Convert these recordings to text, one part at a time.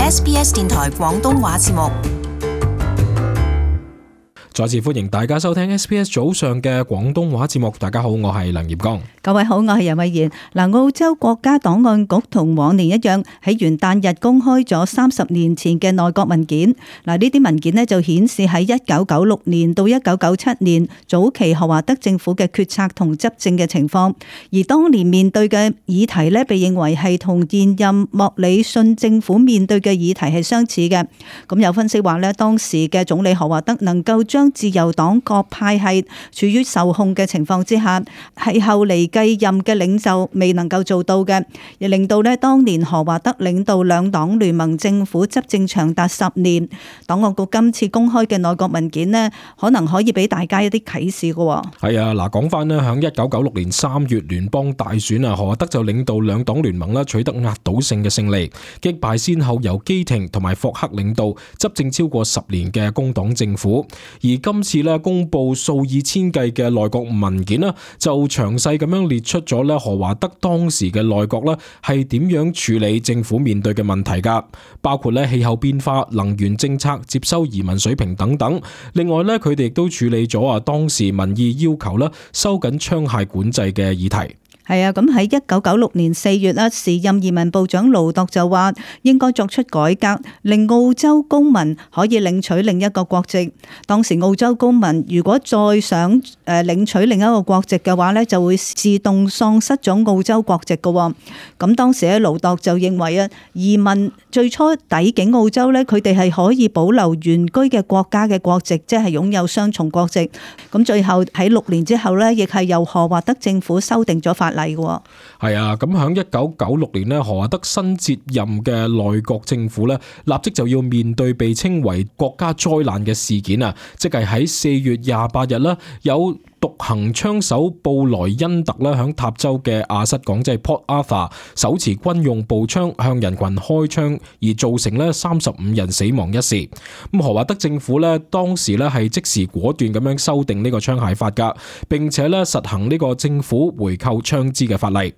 SBS 電台廣東話節目。再次歡迎大家收聽 SBS 早上嘅廣東話節目。大家好，我係梁業剛。各位好，我係任慧妍。澳洲國家檔案局同往年一樣，喺元旦日公開咗30年前嘅內閣文件。呢啲文件呢就顯示喺1996年到1997年早期何華德政府嘅決策同執政嘅情況，而當年面對嘅議題呢，被認為係同現任莫里遜政府面對嘅議題係相似嘅。咁有分析話呢，當時嘅總理何華德能夠將自由黨各派系處於受控嘅情況之下，係後嚟繼任嘅領袖未能夠做到嘅，亦令到呢當年何華德領導兩黨聯盟政府執政長達10年。檔案局今次公開嘅內閣文件呢，可能可以俾大家一啲啟示嘅。係啊，嗱，講翻呢，響1996年3月聯邦大選啊，何華德就領導兩黨聯盟啦，取得壓倒性嘅勝利，擊敗先後由基廷同埋霍克領導執政超過10年嘅工黨政府。而今次咧公布數以千計嘅內閣文件啦，就詳細咁樣列出咗咧何華德當時嘅內閣咧係點樣處理政府面對嘅問題噶，包括咧氣候變化、能源政策、接收移民水平等等。另外咧，佢哋亦都處理咗當時民意要求咧收緊槍械管制嘅議題。係啊，咁喺1996年4月啦，時任移民部長盧鐸就話應該作出改革，令澳洲公民可以領取另一個國籍。當時澳洲公民如果再想領取另一個國籍嘅話咧，就會自動喪失咗澳洲國籍嘅。咁當時咧，盧鐸就認為啊，移民最初抵境澳洲咧，佢哋係可以保留原居嘅國家嘅國籍，即係擁有雙重國籍。咁最後喺6年之後咧，亦係由何華德政府修訂咗法例。係啊，咁響1996年呢，何華德新接任嘅內閣政府呢，立即就要面對被稱為國家災難嘅事件啊，即係喺4月28日啦，有獨行槍手布萊恩特啦，響塔州嘅亞瑟港即係 Port Arthur 手持軍用步槍向人群開槍，而造成咧35人死亡一事。咁何華德政府咧當時咧係即時果斷咁樣修訂呢個槍械法噶，並且咧實行呢個政府回購槍支嘅法例。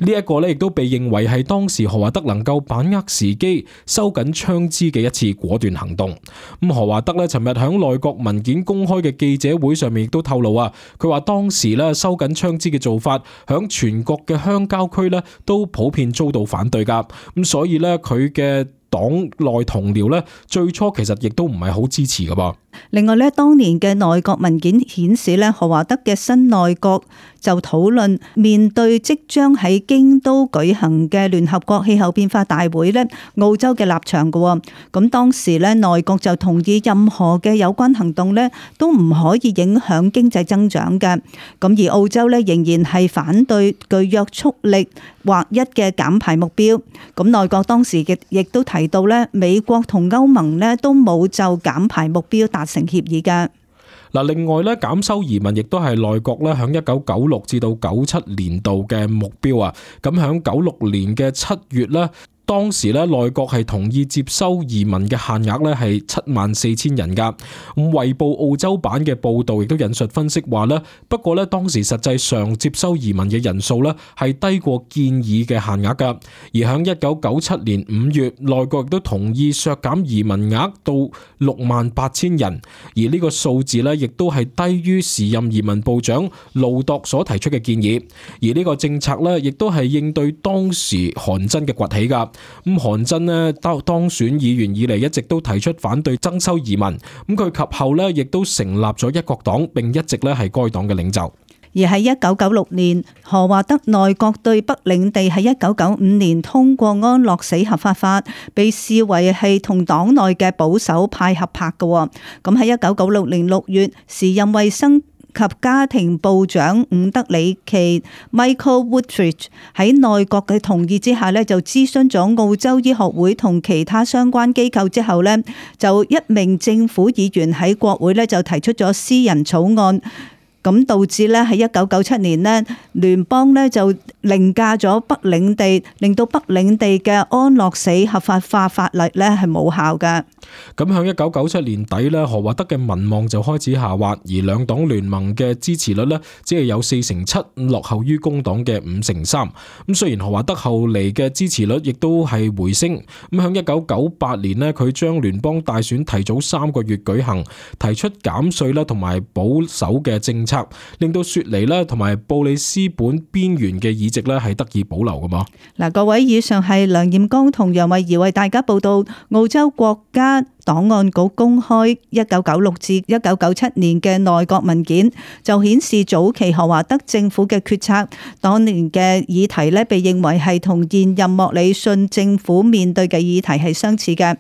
呢一個咧亦都被認為係當時何華德能夠把握時機收緊槍支嘅一次果斷行動。咁何華德咧尋日響內閣文件公開嘅記者會上面亦都透露啊。佢話當時咧收緊槍支嘅做法，響全國嘅鄉郊區咧都普遍遭到反對噶，咁所以咧佢嘅黨內同僚咧最初其實亦都唔係好支持噶噃。另外咧，當年嘅內閣文件顯示咧，何華德嘅新內閣就討論面對即將喺京都舉行嘅聯合國氣候變化大會咧，澳洲嘅立場嘅。咁當時咧，內閣就同意任何嘅有關行動咧，都唔可以影響經濟增長嘅。咁而澳洲咧仍然係反對具約束力劃一嘅減排目標。咁內閣當時亦都提到咧，美國同歐盟咧都冇就減排目標達成協議嘅。嗱，另外咧，減收移民亦都係內閣咧響1996至到97年度嘅目標啊。咁響96年嘅7月咧。當時咧內閣係同意接收移民嘅限額咧係74,000人噶。咁衛報澳洲版嘅報導亦都引述分析話咧，不過咧當時實際上接收移民嘅人數咧係低過建議嘅限額噶。而響1997年5月，內閣亦都同意削減移民額到68,000人，而呢個數字咧亦都係低於時任移民部長盧鐸所提出嘅建議。而呢個政策咧亦都係應對當時韓真嘅崛起噶。咁韓真呢當選議員以嚟一直都提出反對增收移民，咁佢及後呢亦都成立咗一國黨，並一直咧係該黨嘅領袖。而喺1996年，何華德內閣對北領地喺1995年通過安樂死合法法，被視為係同黨內嘅保守派合拍嘅。咁喺1996年6月，時任衛生及家庭部長伍德里奇 Michael Woodridge 喺內閣嘅同意之下咧，就諮詢咗澳洲醫學會同其他相關機構之後咧，就一名政府議員喺國會咧就提出咗私人草案，咁導致咧喺1997年呢，聯邦呢就凌駕咗北領地，令到北領地嘅安樂死合法化法例咧係冇效嘅。咁響1997年底咧，何華德嘅民望就開始下滑，而兩黨聯盟嘅支持率咧只係有47%，落後於工黨嘅53%。咁雖然何華德後嚟嘅支持率亦都係回升，咁響1998年咧，佢將聯邦大選提早3個月舉行，提出減稅啦同埋保守嘅政策，令到雪梨啦同埋布里斯本邊緣嘅議席咧係得以保留噶嘛。嗱，各位，以上係梁艷剛同楊慧儀為大家報道澳洲國家檔案局公開1996至1997年嘅內閣文件，就顯示早期何華德政府嘅決策，當年嘅議題咧被認為係同現任莫里遜政府面對嘅議題係相似嘅。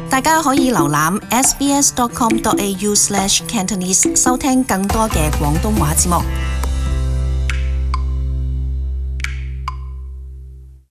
大家可以瀏覽 sbs.com.au/cantonese 收聽更多嘅廣東話節目。